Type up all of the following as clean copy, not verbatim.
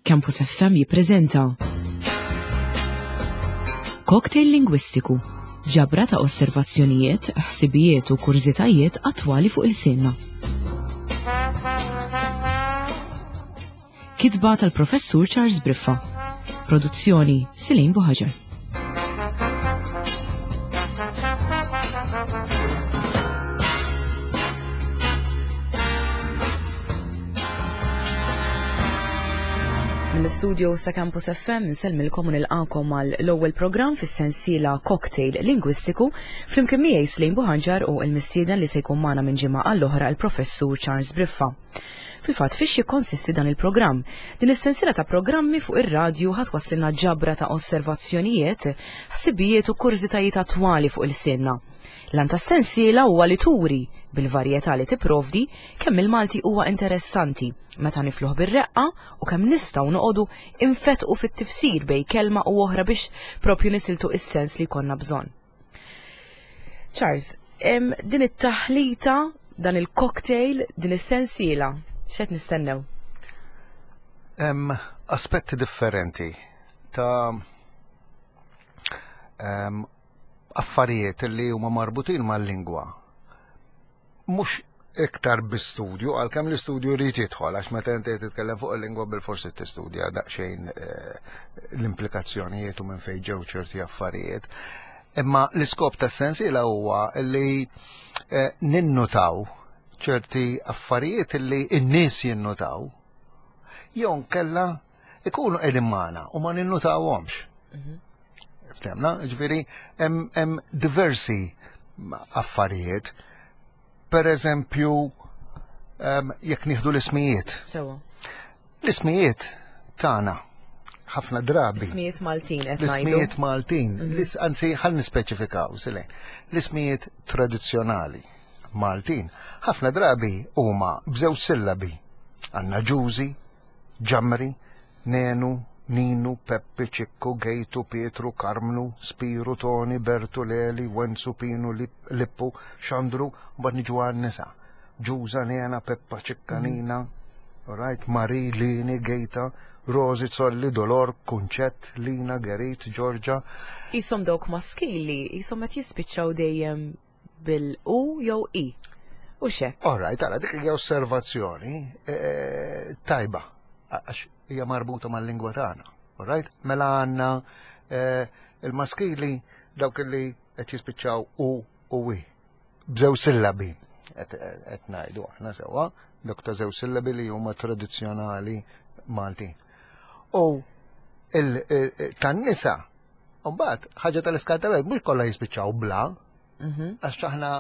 Campus FM jippreżenta Cocktail Lingwistiku, ġabra ta' osservazzjonijiet, ħsibijiet u kurżitajiet attwali fuq il-sinna. Kitba tal-Professur Charles Briffa. Produzzjoni Silin Buħaġar. Mill-istudio sa Campus FM nsellmilkom u nilqakom għal l-ewwel programm fis-sensiela Cocktail Lingwistiku flimkien miegħi Slejn Buħanġar u l-mistieden li se jkun magħna minn ġimgħa għall-oħra il-Professur Charles Briffa. Fil-fatt fiex jikkonsisti dan il-programm? Din is-sensiela ta' programmi fuq ir-radju ħa twasslilna ġabra ta' osservazzjonijiet, ħsibijiet u kurżitajiet attwali fuq ilsienna. L-għan tas-sensiela huwa li turi, bil-varjetà li tipprovdi, kemm il-Malti huwa interessanti meta nifluh bir-reqqa u kemm nistgħu noqogħdu infettqu fit-tifsir bejn kelma u oħra biex propju nisiltu is-sens li jkollna bżonn. Charles, din it-taħlita, dan il-cocktail, din is-sensiela, x'qed nistennew? Hemm aspetti differenti ta' affarijiet li huma marbutin mal-lingwa. Mhux iktar bi studju, għalkemm l-istudju jrid jidħol, għax meta inti titkellem fuq il-lingwa bil-forsi tistudja daqsxejn eh, l-implikazzjonijiet u minn fejn ġew ċerti affarijiet. Imma l-iskop tas-sensiela huwa li eh, ninnutaw ċerti affarijiet li n-nies jinnutaw jew nkella ikunu qegħdin magħna u ma ninnutawhomx. Mhm. Ftemna, ġifieri hemm diversi affarijiet. Per eżempju, jekk nieħdu l-ismijiet. Sewa. L-ismijiet tagħna ħafna drabi. L-ismijiet Maltin qed L-ismijiet Maltin, mhm. anzi ħal nispeċifikaw, silej. L-ismijiet tradizzjonali Maltin ħafna drabi huma b'żewġ sillabi. Għandna ġużi, Ġamri, Nenu, Ninu, Peppi, Ċikku, Gejtu, Pietru, Karmnu, Spiru, Toni, Bertu, Leli, Wenzu, Pinu, Lippu, Xandru, mbagħad niġu għan-nisa. Ġuża, Nena, Peppa, Ċikka, mhm. Nina, right, Mari, Lini, Gejta, Rosi, Zolli, Dolor, Kunċett, Lina, Gerit, Ġorġa. Isom dawk maskili, isom qed jispiċċaw dejjem bil-u jew i. U xe. All right, ara, dik hija osservazzjoni eh, tajba, għax hija marbuta mal-lingwa tagħna. All right? Mela għandna eh, il-maskili dawk li qed jispiċċaw u u i. B'żew sillabi qed ngħidu aħna sewwa, dawk ta' żew sillabi li huma tradizzjonali Maltin. U tan-nisa Mbagħad ħaġa tal-iskarta mhux kollha jispiċċaw bla, mhm. għax aħna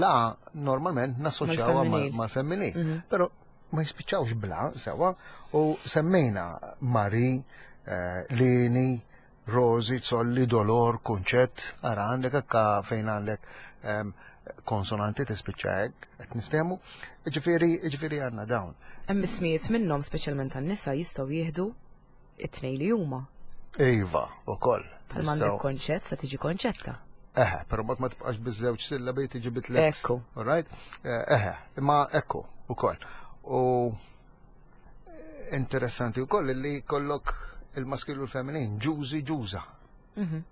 la normalment nassoċjawha mal-femminil. Mhm. Però ma jispiċċawx bla sewa u semmejna Mari, eh, Lini, Rosi, Zolli, Dolor, Kunċett, ara għandek akka fejn għandek ehm, konsonanti tispiċċa hekk, qed niftehmu. Ġifieri, ġifieri għandna dawn. Hemm ismijiet minnhom speċjalment tan-nisa jistgħu jieħdu it-tnejn li huma. Iva, ukoll. Bħal m'għandek konċett sa tiġi konċetta. Eħe, però mbagħad ma tibqax biż-żewġ sillabi tiġi bitlet. Ekku. All right? Eh, eħe, imma ekku ukoll. U interessanti wkoll li kollok il-maskil u l-feminin, ġużi ġuża. Mhm.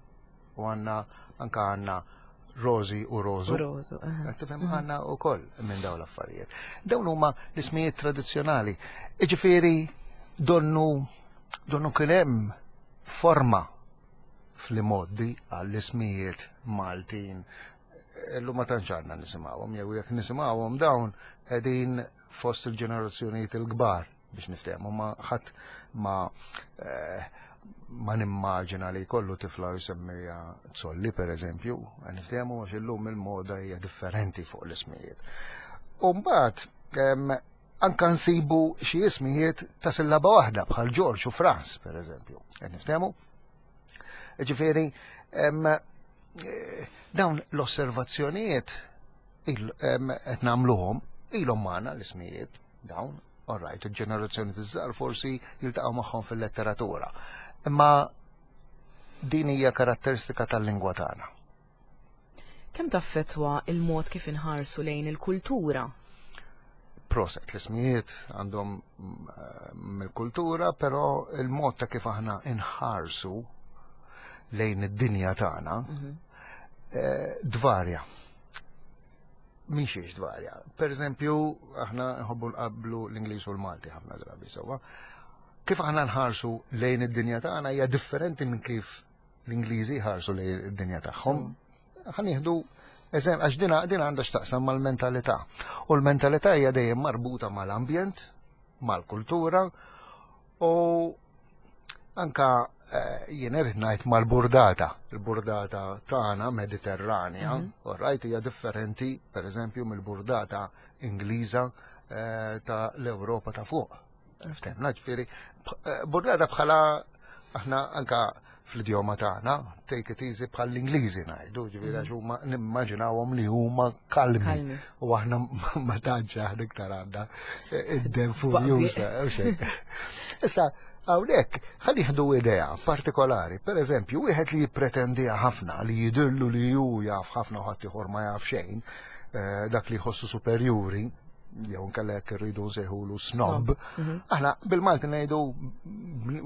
U għanna anka għanna Rosi u Rozu. Rozu. Tifhem mhm. għanna u koll minn dawn l-affarijiet. Dawn huma l-ismijiet tradizzjonali. Iġifieri donnu donnu kien hemm forma fl-imoddi għall-ismijiet Maltin. Illum ma tantx għandna nisimgħuhom jew jekk nisimgħuhom dawn qegħdin fost il-ġenerazzjonijiet il-kbar. biex niftehmu ma ħadd ma eh, ma nimmaġina li jkollu tifla jsemmija Zolli per eżempju, niftehmu għax illum il-moda hija differenti fuq l-ismijiet. U mbagħad anka nsibu xi ismijiet ta' sillaba waħda bħal Ġorġ u Franz per eżempju. Niftehmu? Ġifieri, eh, dawn l-osservazzjonijiet qed nagħmluhom ilhom magħna l-ismijiet dawn, all right, il-ġenerazzjoni tiżżar forsi jiltaqgħu magħhom fil-letteratura. Imma din hija karatteristika tal-lingwa tagħna. Kemm taffetwa il-mod kif inħarsu lejn il-kultura? Proset, l-ismijiet għandhom mill-kultura, però il-mod ta' kif aħna inħarsu lejn id-dinja tagħna dvarja. Min xiex dvarja. Per eżempju, aħna nħobbu nqablu l-Ingliż u l-Malti ħafna drabi sewwa. Kif aħna nħarsu lejn id-dinja tagħna hija differenti minn kif l-Ingliżi jħarsu lejn id-dinja tagħhom. Ħa nieħdu eżem, għax dina din għandha x'taqsam mal-mentalità. U l-mentalità hija dejjem marbuta mal-ambjent, mal-kultura u anka jien irid ngħid mal-burdata. Il-burdata tagħna Mediterranja, all right, hija differenti pereżempju mill-burdata Ingliża ta' l-Ewropa ta' fuq. Ftemna, ġifieri, burdata bħala aħna anka fl-idjoma tagħna, take it easy bħal l-Ingliżi ngħidu, ġifieri għax huma nimmaġinawhom li huma kalmi. Kalmi. U aħna ma tantx aħna iktar għandna id-dem furjuża, u xejn. Issa, hawnhekk ħa nieħdu idea partikolari, per eżempju, wieħed li jippretendiha ħafna, li jidillu li hu jaf ħafna u ħadd ieħor ma jaf xejn, dak li jħossu superjuri, jew nkella jekk irridu nsejħulu snob, aħna bil-Malti ngħidu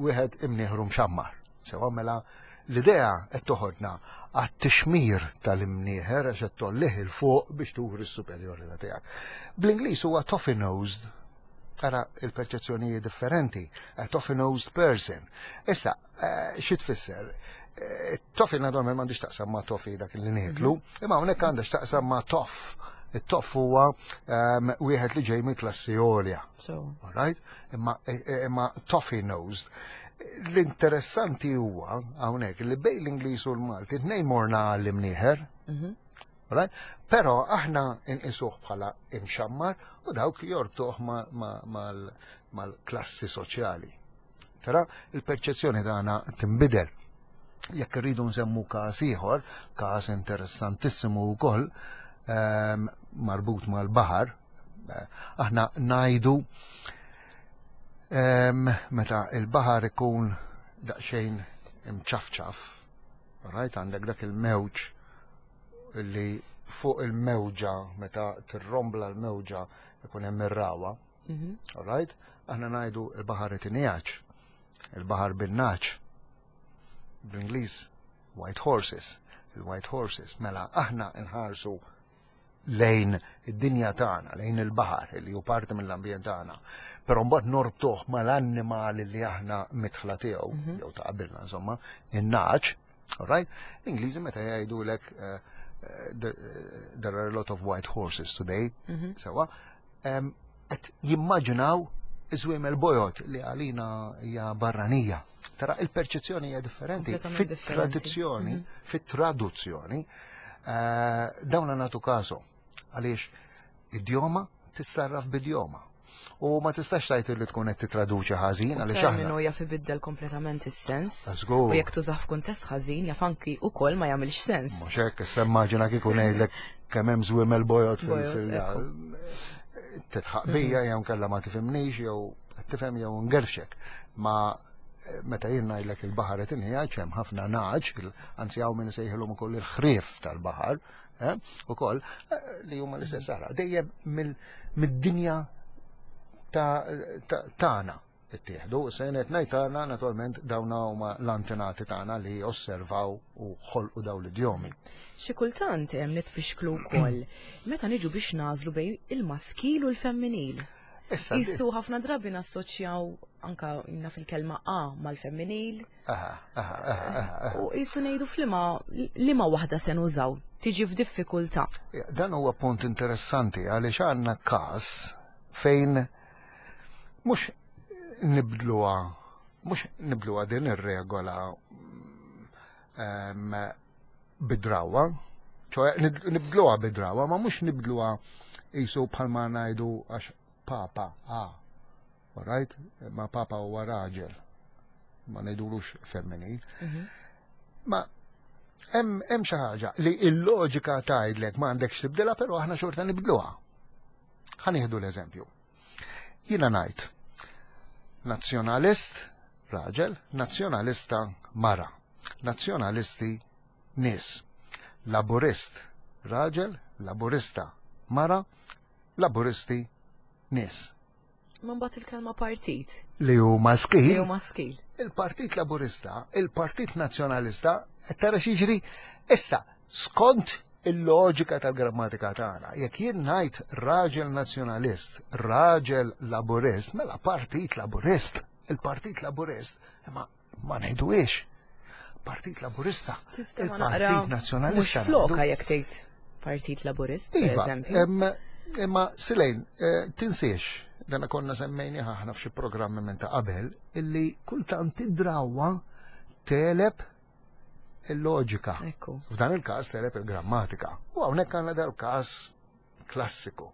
wieħed imnieħru mxammar. Sewa mela l-idea qed toħodna għat-tixmir tal-imnieħer għax qed tollih il fuq biex turi s-superjorità tiegħek. Bl-Ingliż huwa toffee-nosed, tara il-perċezzjonijiet differenti, a toffee-nosed person. Issa, xi tfisser? Toffee naturalment m'għandix taqsam ma' toffee dak li nieklu, imma hawnhekk għandha x'taqsam ma' toff. It-toff huwa wieħed li ġej mill-klassi għolja. All right? Imma toffee-nosed. L-interessanti huwa hawnhekk li bejn l-Ingliż u l-Malti tnejn morna għall-imnieħer. Right? Però aħna nqisuh bħala imxammar u dawk jorbtuh mal-klassi soċjali. Tara, il-perċezzjoni tagħna tinbidel. Jekk irridu nsemmu każ ieħor, każ interessantissimu wkoll, marbut mal-baħar, aħna ngħidu meta il-baħar ikun daqsxejn imċafċaf, right? Għandek dak il-mewġ li fuq il-mewġa, meta tirrombla l-mewġa ikun hemm ir-rawa. All right? Aħna ngħidu il-baħar itinjaċ, il-baħar bin-naċ. Bl-Ingliż white horses, il-white horses. Mela aħna nħarsu lejn id-dinja tagħna, lejn il-baħar li hu parti mill-ambjent tagħna. Però mbagħad norbtuh mal-annimali li aħna mitħla tiegħu, jew ta' qabilna insomma, in-naċ, all right? L-Ingliżi meta jgħidulek there are a lot of white horses today, sewa, qed jimmaġinaw iż-żwiemel bojod li għalina hija barranija. Tara il-perċezzjoni hija differenti. Kompletament differenti. Fit-tradizzjoni, fit-traduzzjoni, dawna nagħtu kasu għaliex idjoma tissarraf b'idjoma. U ma tistax tgħid li tkun qed titraduċi ħażin għaliex aħna. Terminu jaf ibiddel kompletament is-sens. Żgur. U jekk tużah f'kuntest ħażin jaf anki wkoll ma jagħmilx sens. Mhux hekk, issa immaġina kieku ngħidlek kemm hemm żwiemel bojod Bojod, ekku. titħaq bija jew nkella ma tifhimnix jew tifhem jew ngerfxek. Ma meta jien ngħidlek il-baħar qed inħijaġ hemm ħafna naġ, anzi hawn min isejħilhom ukoll il-ħrief tal-baħar, ukoll li huma l-istess ara. Dejjem mid-dinja tagħna ittieħdu. Se jien qed ngħid tagħna naturalment dawn huma l-antenati tagħna li osservaw u ħolqu dawn l-idjomi. Xi kultant hemm nitfixklu wkoll meta niġu biex nażlu bejn il-maskil u l-femminil. Issa, Isu ħafna drabi nassoċjaw anka naf il-kelma A mal-femminil. Aha. U jisu ngħidu f'liema liema waħda se nużaw, tiġi f'diffikultà. Ja, dan huwa punt interessanti għaliex għandna każ fejn mhux nibdluha, mhux nibdluha din ir-regola bidrawa, ċoħe nibdluha bidrawa, ma mhux nibdluha jisu bħalma ngħidu għax papa, all right? Ma papa huwa raġel, ma ngħidulux femminil. Ma hemm xi ħaġa li l-loġika tgħidlek ma għandekx tibdilha, però aħna xorta nibdluha. Ħa nieħdu l-eżempju. Jiena ngħid nazzjonalist raġel, nazzjonalista mara, nazzjonalisti nies, laburist raġel, laburista mara, laburisti nies. Ma mbagħad il-kelma partit. Li hu maskil. Li hu maskil. Il-Partit Laburista, il-Partit Nazzjonalista, qed tara x'jiġri issa skont il-loġika tal-grammatika tagħna. Jekk jien ngħid raġel nazzjonalist, raġel laburist, mela Partit Laburist, il-Partit Laburist, imma ma ngħiduhiex. Partit Laburista, il-Partit Nazzjonalista. Mhux floka jekk tgħid Partit Laburist, per iva, eżempju. Imma Silejn, eh, tinsiex, dana konna semmejni ħahna f'xi programmi minn ta' qabel, illi kultant id-drawa teleb il-loġika. F'dan il-każ teleb il-grammatika. U hawnhekk għandna dal-każ klassiku.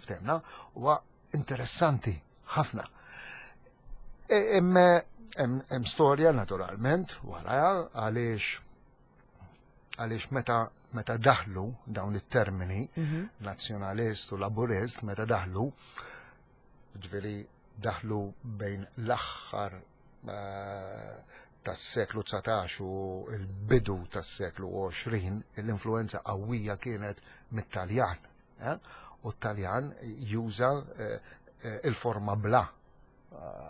Ftemna, huwa interessanti ħafna. E, hemm storja naturalment wara għaliex għaliex meta meta daħlu dawn it-termini mhm. nazzjonalist u laburist meta daħlu ġifieri daħlu bejn l-aħħar eh, tas-seklu 19 u l-bidu tas-seklu 20 l-influenza qawwija kienet mit-Taljan. Eh? U t-Taljan juża eh, eh, il-forma bla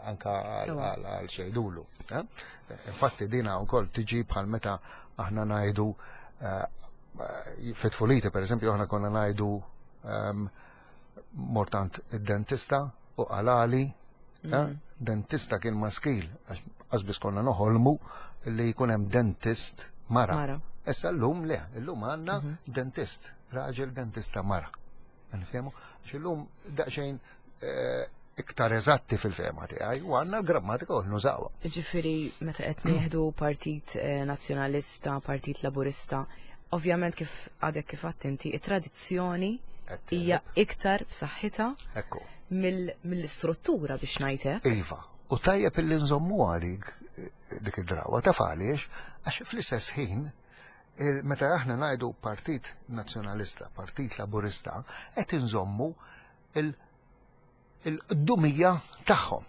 anka għal xejdulu. Infatti dina wkoll tiġi bħal meta aħna ngħidu fit-tfuliti pereżempju aħna konna ngħidu ehm, mortant id-dentista u qalali mhm. dentista kien maskil għax konna noħolmu li jkun hemm dentist mara. Issa llum le, illum għandna mhm. dentist Raġel dentista mara. Nifhemu? Għax illum daqsxejn eh, iktar eżatti fil-fehma tiegħi u għandna l-grammatika u nużawha. Ġifieri meta qed nieħdu Partit eh, Nazzjonalista, Partit Laburista, ovvjament kif għadek kif inti, it-tradizzjoni hija iktar b'saħħitha mill-istruttura biex ngħid Iva, u tajjeb illi nżommu għalik eh, dik id-drawa taf għaliex għax fl-istess ħin Meta aħna ngħidu Partit Nazzjonalista, Partit Laburista, qed inżommu il-qdumija tagħhom.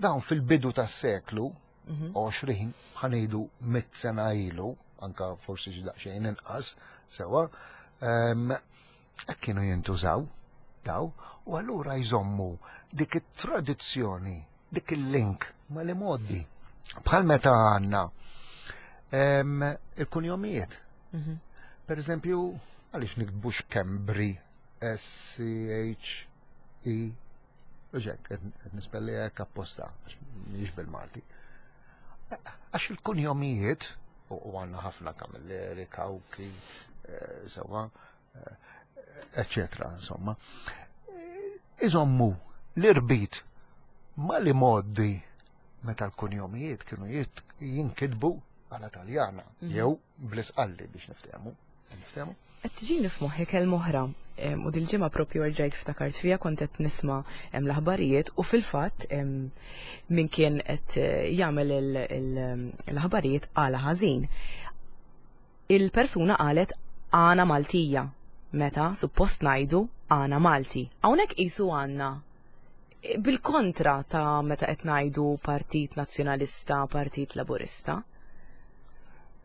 Dawn fil-bidu tas-seklu 20, mhm. ħanejdu mit sena ilu, anka forsi xi daqsxejn inqas, sewa, ehm, hekk kienu jintużaw daw, u allura jżommu dik it-tradizzjoni dik il-link ma li moddi. Bħal meta għanna il-kunjomijiet. Mhm. Per eżempju, għaliex niktbux Kembri S-C-H-E Uġek, nispelli hekk apposta, mhix bil-Malti. Għax il-kunjomijiet, u għanna ħafna Camilleri, Kawki, eh, sewa, eccetera, insomma, iżommu l-irbit ma li moddi meta l-kunjomijiet kienu jinkitbu għala Taljana mhm. jew bl-isqalli biex niftehmu. Niftehmu? Qed tiġini f'moħħi kelma oħra u dil-ġimgħa propju rġajt ftakart fija kont qed nisma' l-aħbarijiet u fil-fatt min kien qed eh, jagħmel l-aħbarijiet għala ħażin. Il-persuna qalet għana Maltija meta suppost ngħidu għana Malti. Hawnhekk qisu għandna bil-kontra ta' meta qed ngħidu Partit Nazzjonalista, Partit Laburista.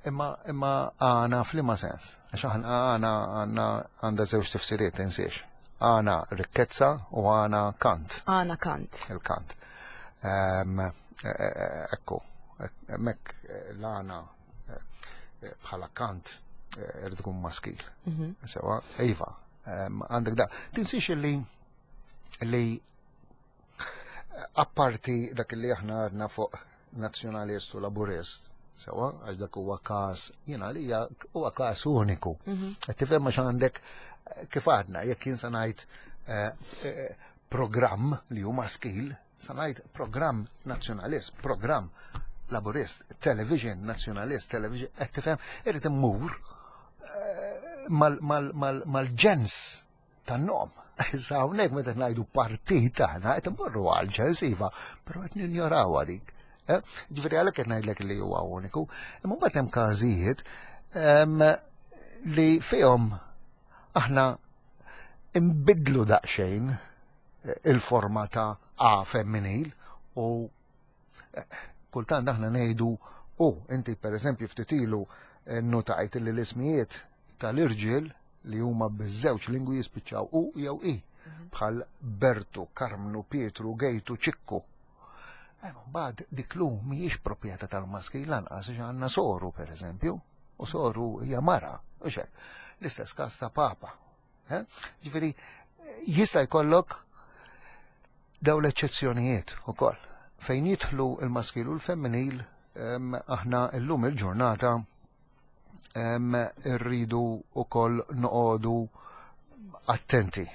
Imma imma għana f'liema sens? Għax aħna għana għandna għandha żewġ tifsiriet tinsiex. Għana rikkezza u għana kant. Għana kant. Il-kant. Ehm, e, e, e, ekku, hemmhekk l-għana bħala kant eh, irid ikun maskil. Mhm. Sewa, iva, għandek da. Tinsiex li li apparti dak li aħna għadna fuq nazzjonalist u laburist, sewa, għax dak huwa każ, jiena li huwa każ uniku. Mhm. Qed tifhem għax għandek eh, kif għadna, jekk jien se ngħid eh, programm li hu maskil, Sa ngħid programm nazzjonalist, programm laburist, television nazzjonalist, television, qed tifhem, irid immur eh, mal-ġens tan-nom. Issa hawnhekk meta ngħidu partit aħna qed immorru għal ġens iva, però qed ninjoraw dik. Eh? Ġifieri għalhekk qed ngħidlek li huwa uniku. Imma mbagħad hemm każijiet ehm, li fihom aħna imbidlu daqsxejn il-forma ta' A femminil u eh, kultant aħna ngħidu u inti pereżempju ftit ilu eh, notajt li l-ismijiet tal-irġiel li huma biż-żewġ lingwi jispiċċaw u jew i. Bħal Bertu, Karmnu, Pietru, Gejtu, Ċikku. Mbagħad dik l mhijiex proprjetà tal-maskil lanqas għax għandna soru pereżempju, u soru hija mara, u xek. L-istess każ ta' papa. Eh? Ġifieri jista' jkollok daw l-eċċezzjonijiet ukoll. Fejn jidħlu il-maskil u l-femminil aħna llum il-ġurnata rridu ukoll noqogħdu attenti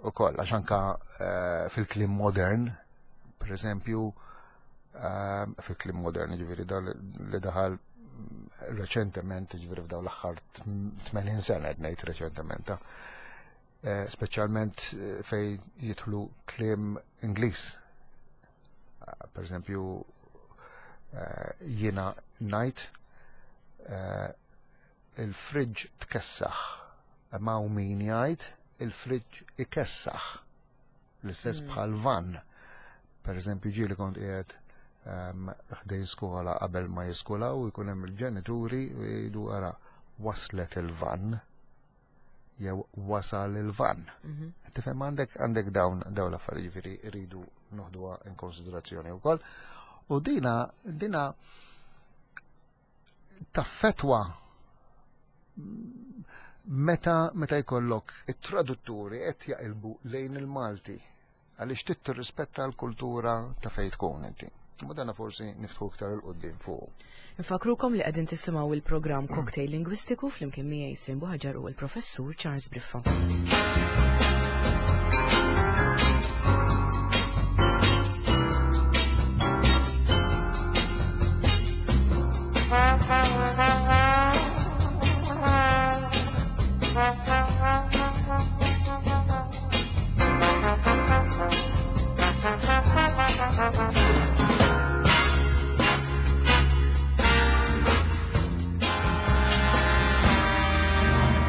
ukoll għax anka eh, fil-kliem modern, per eżempju, fil-kliem modern, ġifieri li daħal reċentement, ġifieri f'daw l-aħħar 80 sena qed ngħid reċentement, eh, speċjalment eh, fejn jidħlu kliem Ingliż. Per eżempju, jiena ngħid il-friġġ tkessaħ, ma u min jgħid il-friġġ ikessaħ. L-istess bħal van. Per eżempju, ġieli kont qiegħed ħdejn skola qabel ma jiskolaw u jkun hemm il-ġenituri u jgħidu ara waslet il-van jew wasal il-van. Tifhem għandek għandek dawn dawn l-affarijiet ġifieri rridu noħduha in konsiderazzjoni wkoll. U dina dina taffetwa meta meta jkollok it-tradutturi qed jaqilbu lejn il-Malti għaliex trid tirrispetta l-kultura ta' fejn tkun inti. Ma dana forsi niftħu iktar il-qudiem fuq. Infakrukom li qegħdin tisimgħu il-programm Cocktail Lingwistiku flimkien miegħi Slim Buħaġar u l-Professur Charles Briffa.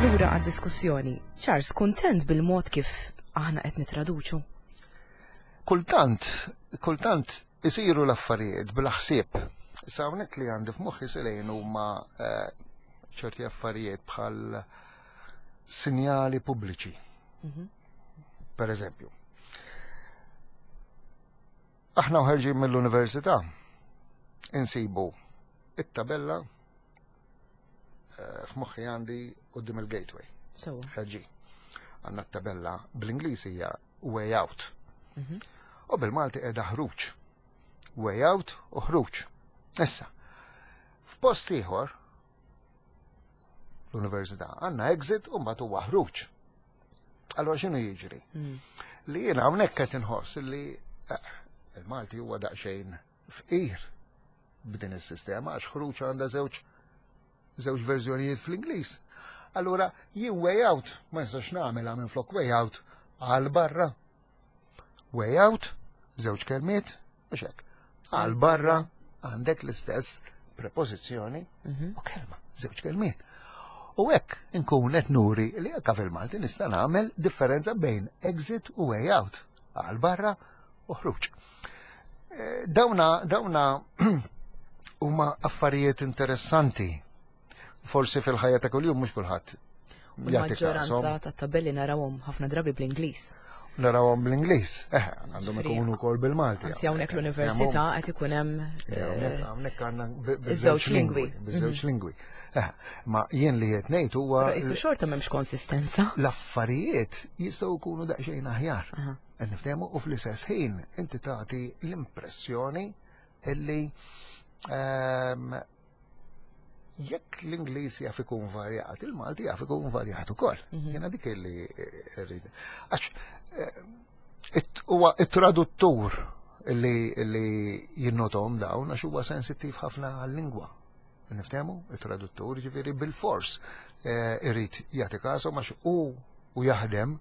Lura għad-diskussjoni. Charles, kuntent bil-mod kif aħna qed nitraduċu? Kultant, kultant isiru l-affarijiet bla ħsieb. Issa hawnhekk li għandi f'moħħi silejn huma eh, ċerti affarijiet bħal sinjali pubbliċi. Per eżempju, aħna uħerġin mill-università insibu it-tabella eh, f'moħħi għandi quddiem il-gateway. Ħerġin. Għandna t-tabella bl-Ingliż hija way out. U bil-Malti qiegħda ħruġ. Way out u ħruġ. Issa, f'post ieħor l-università għandna exit u mbagħad huwa ħruġ. Allora x'inhu jiġri? Li jiena hawnhekk qed inħoss li eh, il-Malti huwa daqsxejn fqir b'din is-sistema għax ħruġ għandha żewġ żewġ verżjonijiet fl-Ingliż. Allura jien way out ma nistax nagħmilha minn flok way out għal barra. Way out, żewġ kelmiet, mhux hekk. Għal barra għandek l-istess prepożizzjoni u kelma, żewġ kelmiet. U hekk inkun qed nuri li anke fil-Malti nista' nagħmel differenza bejn exit u way out, għal barra u ħruġ. Eh, dawna dawna huma affarijiet interessanti. Forsi fil-ħajja ta' kuljum mhux kulħadd jagħti maġġoranza ta' tabelli narawhom ħafna drabi bl-Ingliż. Narawhom bl-Ingliż. Eh, għandhom ikunu wkoll bil-Malti. Anzi hawnhekk l-università qed ikun hemm eh, hawnhekk għandna biż-żewġ lingwi. Biż-żewġ mhm. lingwi. Eh, ma jien li qed ngħid huwa. Isu xorta m'hemmx konsistenza. L-affarijiet jistgħu jkunu daqsxejn aħjar. Qed niftehmu u fl-istess ħin inti tagħti l-impressjoni illi ehm, jekk l-Ingliż jaf ikun varjat, il-Malti jaf ikun varjat ukoll. Mhm. Jiena dik illi rrid. Għax eh, huwa it-traduttur illi jinnotom dawn għax huwa sensittiv ħafna għal-lingwa. Niftehmu, it-traduttur ġifieri bil-fors eh, irid jagħti kasu għax hu u jaħdem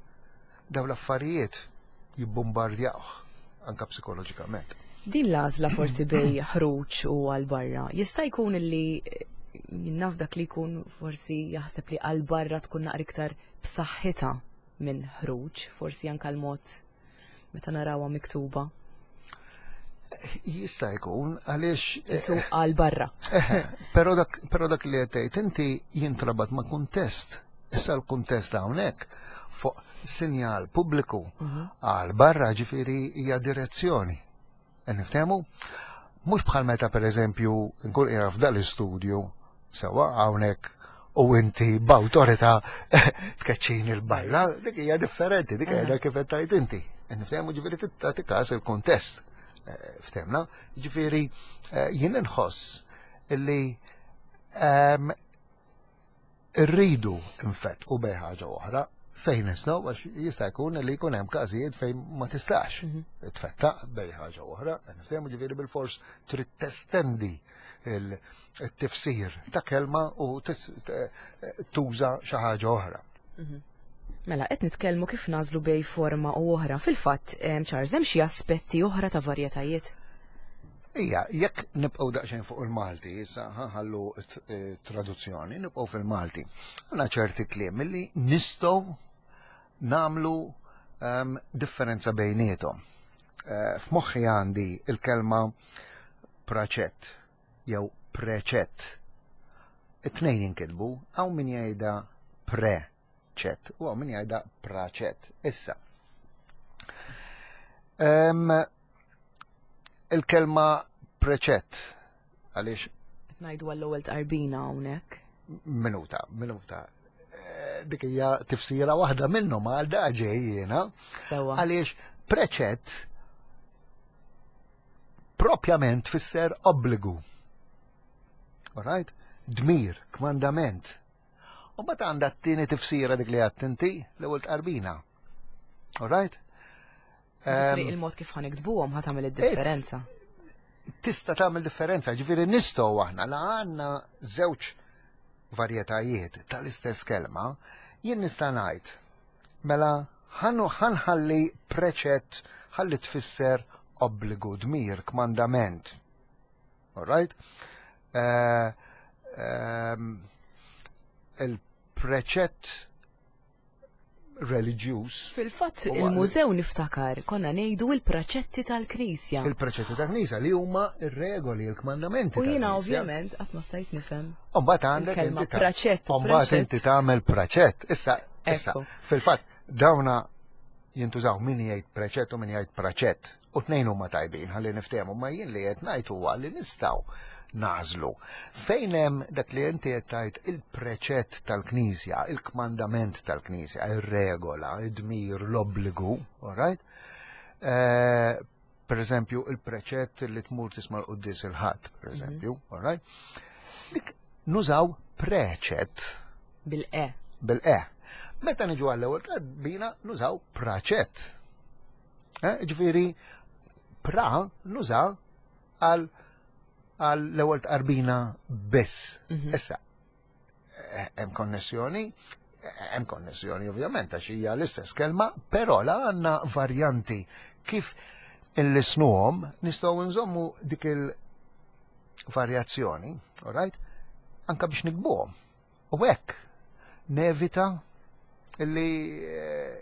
daw l-affarijiet jibbombardjawh anka psikoloġikament. Din l-għażla forsi bej ħruġ u għal barra, jista' jkun li eh, naf dak li jkun forsi jaħseb li għal barra tkun naqra iktar b'saħħitha minn ħruġ, forsi anka l-mod meta narawha miktuba. Jista' jkun għaliex Isu għal barra. Però dak però dak li qed tgħid inti jintrabat ma' kuntest. Issa l-kuntest hawnhekk fuq sinjal pubbliku għal barra ġifieri hija direzzjoni. Niftehmu? Mhux bħal meta pereżempju nkun qiegħed f'dal istudju sewwa hawnhekk u inti b'awtorità tkeċċini l-barra, dik hija differenti, dik hija kif qed tgħid inti. Niftehmu ġifieri tagħti każ il-kuntest. Eh, ftehmna, ġifieri eh, jien inħoss illi ehm, Irridu nfettqu bejn ħaġa oħra fejn nistgħu għax jista' jkun li jkun hemm każijiet fejn ma tistax mhm. tfettaq bejn ħaġa oħra, nifhemu ġifieri bil-fors trid testendi il-tifsir ta' kelma u tuża xi ħaġa oħra. Mhm. Mela, qed nitkellmu kif nażlu bej forma u oħra. Fil-fatt, Charles, hemm xi aspetti oħra ta' varjetajiet? Ija, jekk nibqgħu daqsxejn fuq il-Malti, issa ħallu eh, traduzzjoni, nibqgħu fil-Malti. Għandna ċerti kliem li nistgħu nagħmlu um, differenza bejniethom. Uh, F'moħħi għandi il-kelma praċett jew preċett. It-tnejn jinkitbu, hawn min jgħidha pre-ċett u hawn min jgħidha praċett. Issa. Um, il-kelma preċett għaliex Ngħidu għall-ewwel tqarbina hawnhekk. Minuta, minuta. Eh, dik hija tifsira waħda minnhom għal da ġej jiena. Għaliex preċett propjament tfisser obbligu. Alright? Dmir, kmandament. U mbagħad għandha t-tieni tifsira dik li għadt inti l-ewwel tqarbina. Alright? Il-mod kif ħaniktbuhom ħa tagħmel id-differenza. Tista' tagħmel differenza, ġifieri nistgħu aħna la għandna żewġ varjetajiet tal-istess kelma, jien nista' ngħid mela ħanħalli preċett ħalli tfisser obbligu, dmir, kmandament. All right? Uh, um, il-preċett reliġjuż. Fil-fatt il-mużew niftakar konna ngħidu il-preċetti tal-Knisja. Il-preċetti tal-Knisja li huma ir-regoli, il-kmandamenti. U jiena ovvjament qatt ma stajt nifhem. Mbagħad għandek inti praċett. Mbagħad inti tagħmel praċett. Issa, issa, fil-fatt dawna jintużaw min jgħid preċett u min jgħid praċett. U tnejn huma tajbin ħalli niftehmu, ma jien li qed ngħid huwa li nistgħu nagħżlu. Fejn hemm dak li inti qed tgħid il-preċett tal-Knisja, il-kmandament tal-Knisja, ir-regola, id-dmir, l-obbligu, all right? Eh, per eżempju, il-preċett li tmur tisma' l-quddies il-ħadd, per mhm. eżempju, all right? Dik nużaw preċett. Bil-e. Bil-e. Meta niġu għall-ewwel bina nużaw praċett. Eh, ġifieri pra nuża għal l-ewwel tqarbina biss. Mhm. Issa, eh, hemm konnessjoni, hemm konnessjoni ovvjament għax hija l-istess kelma, però la għandna varjanti kif il-lisnuhom nistgħu nżommu dik il-varjazzjoni, all right? Anka biex nikbuhom. U hekk nevita illi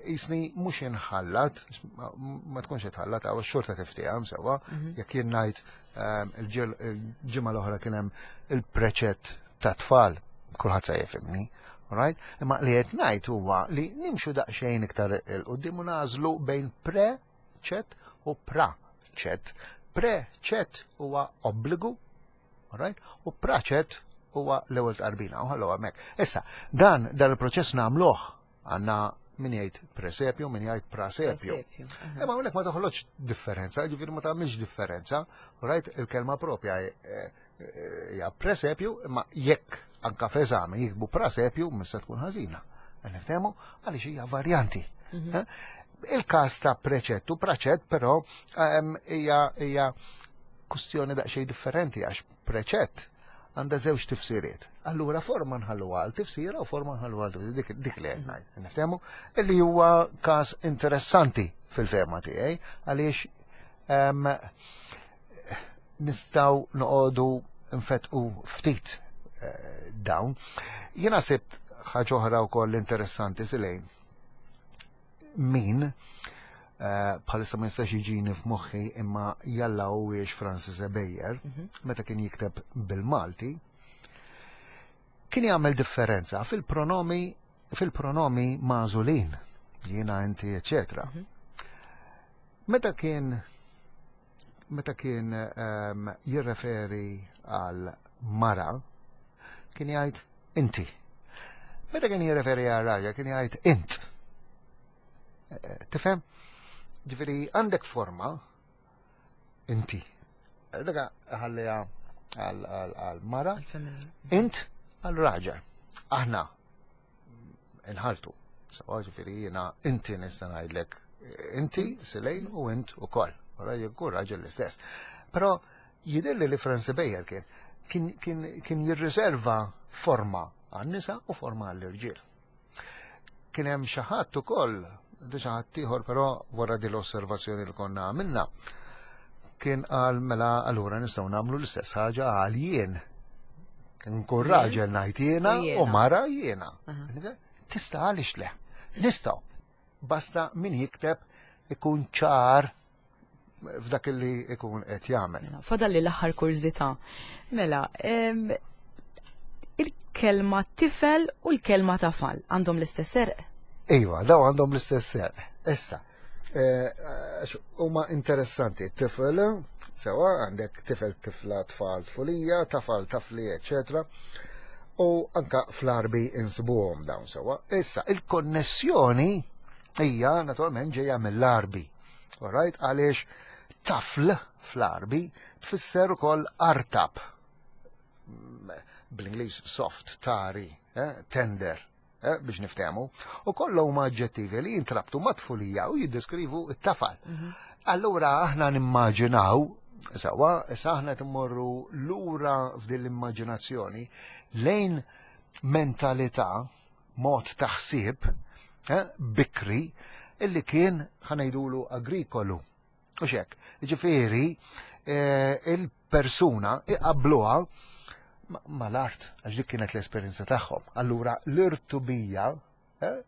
jisni eh, mhux inħallat, ma tkunx itħallat għaw xorta tiftieha sewwa, mhm. jekk jien ngħid ehm, il-ġimgħa l-oħra kien hemm il-preċett ta' tfal, kulħadd se jifhimni. Right? Imma li qed ngħid huwa li nimxu daqsxejn iktar il-qudiem u nażlu bejn pre-ċett u pra-ċett. Pre-ċett huwa obbligu Alright? U praċet huwa l-ewwel tqarbina, u ħallu hemmhekk. Issa, dan dan il-proċess nagħmluh għandna min jgħid presepju, min jgħid prasepju. Imma hawnhekk ma toħloġ differenza, ġifieri ma tagħmilx differenza, right? Il-kelma propja eh, eh, hija presepju, imma jekk anka f'eżami jikbu prasepju mista tkun ħażina. Niftehmu għaliex hija varjanti. Mhm. Eh? Il-każ ta' preċettu, praċett però ehm, hija hija kustjoni daqsxejn differenti għax preċett għandha żewġ tifsiriet. Allura forma nħallu għal tifsira u forma nħallu għal dik, dik li qed ngħid. Niftehmu illi huwa każ interessanti fil-fehma tiegħi għaliex ehm, nistgħu noqogħdu nfetqu ftit eh, dawn. Jiena sibt ħaġa oħra wkoll interessanti silejn min eh, bħalissa ma jistax jiġini f'moħħi imma jalla huwiex Francis Ebejer, mhm. meta kien jikteb bil-Malti, kien jagħmel differenza fil-pronomi fil-pronomi magħżulin. Jiena, inti, eccetera. Meta kien meta kien jirreferi għal mara, kien jgħid inti. Meta kien jirreferi għal raġel, kien jgħid int. Tifhem? Ġifieri għandek forma inti. Dak ħalliha għal mara, int għal raġel. Aħna inħaltu. Sawa ġifieri jiena inti nista' ngħidlek inti Silejn u int ukoll. U raġel kull raġel l-istess. Però jidhirli li Francis Bayer kien kien kien kien jirriserva forma għan-nisa u forma għall-irġiel. Kien hemm xi ħadd ukoll, di xi ħadd ieħor però wara din l-osservazzjoni li konna għamilna, kien qal mela allura nistgħu nagħmlu l-istess ħaġa għal jien. Nkun raġel ngħid jiena u mara jiena. Tista' għaliex le? Nistgħu. Basta min jikteb ikun ċar f'dak li ikun qed jagħmel. Mela, fadalli l-aħħar kurżità. Mela, il-kelma tifel u l-kelma tafal għandhom l-istess serq? Iva, daw għandhom l-istess serq. Issa, eh, huma interessanti, tifel, sewa għandek tifel, tifla, tfal, tfulija, tafal, tafli, eccetera. U anka fl-arbi insibuhom dawn sewa. Issa, il-konnessjoni hija naturalment ġejja mill-arbi. Alright, għaliex tafl fl-arbi tfisser ukoll artab. Bl-Ingliż soft, tari, eh, tender, eh, biex niftehmu. U kollha huma aġġettivi li jintrabtu ma' tfulija u jiddeskrivu t-tafal. Mhm. Allura aħna nimmaġinaw Sawa, issa aħna timmorru lura f'din l-immaġinazzjoni lejn mentalità mod ta' ħsieb eh, bikri illi kien ħanajdulu agrikolu. U xek, ġifieri eh, il-persuna iqabluha mal-art, għax dik kienet l-esperjenza tagħhom. Allura l-irtubija eh,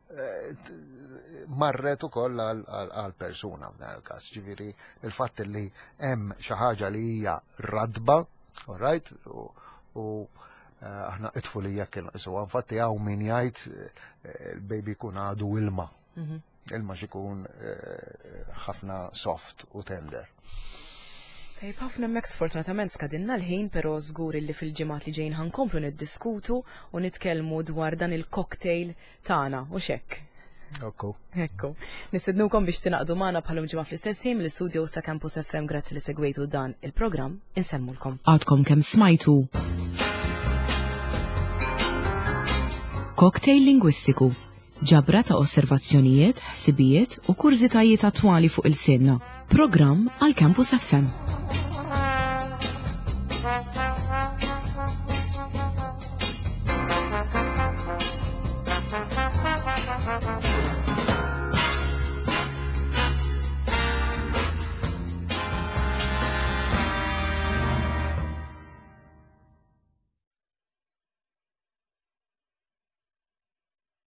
marret ukoll għal persuna f'dan il-każ. Ġifieri il-fatt li hemm xi ħaġa li hija radba, all right, u eh, aħna it-tfulija kien isuha. Infatti hawn min jgħid eh, il-baby jkun għadu ilma. Mhm. Ilma xikun eh, ħafna soft u tender. Tajb ħafna hemmhekk sfortunatament skadinna l-ħin, però żgur li fil-ġimgħat li ġejjin ħankomplu niddiskutu u nitkellmu dwar dan il-cocktail tagħna u xekk. Ekku. Ekku. Nistednukom biex tingħaqdu magħna bħalum ġimgħa fl-istess ħin mill-istudio sa Campus FM grazzi li segwejtu dan il-programm insemmulkom. Għadkom kemm smajtu Cocktail lingwistiku Ġabra ta' osservazzjonijiet, ħsibijiet u kurżitajiet attwali fuq il-sinna. Programm għal Campus FM.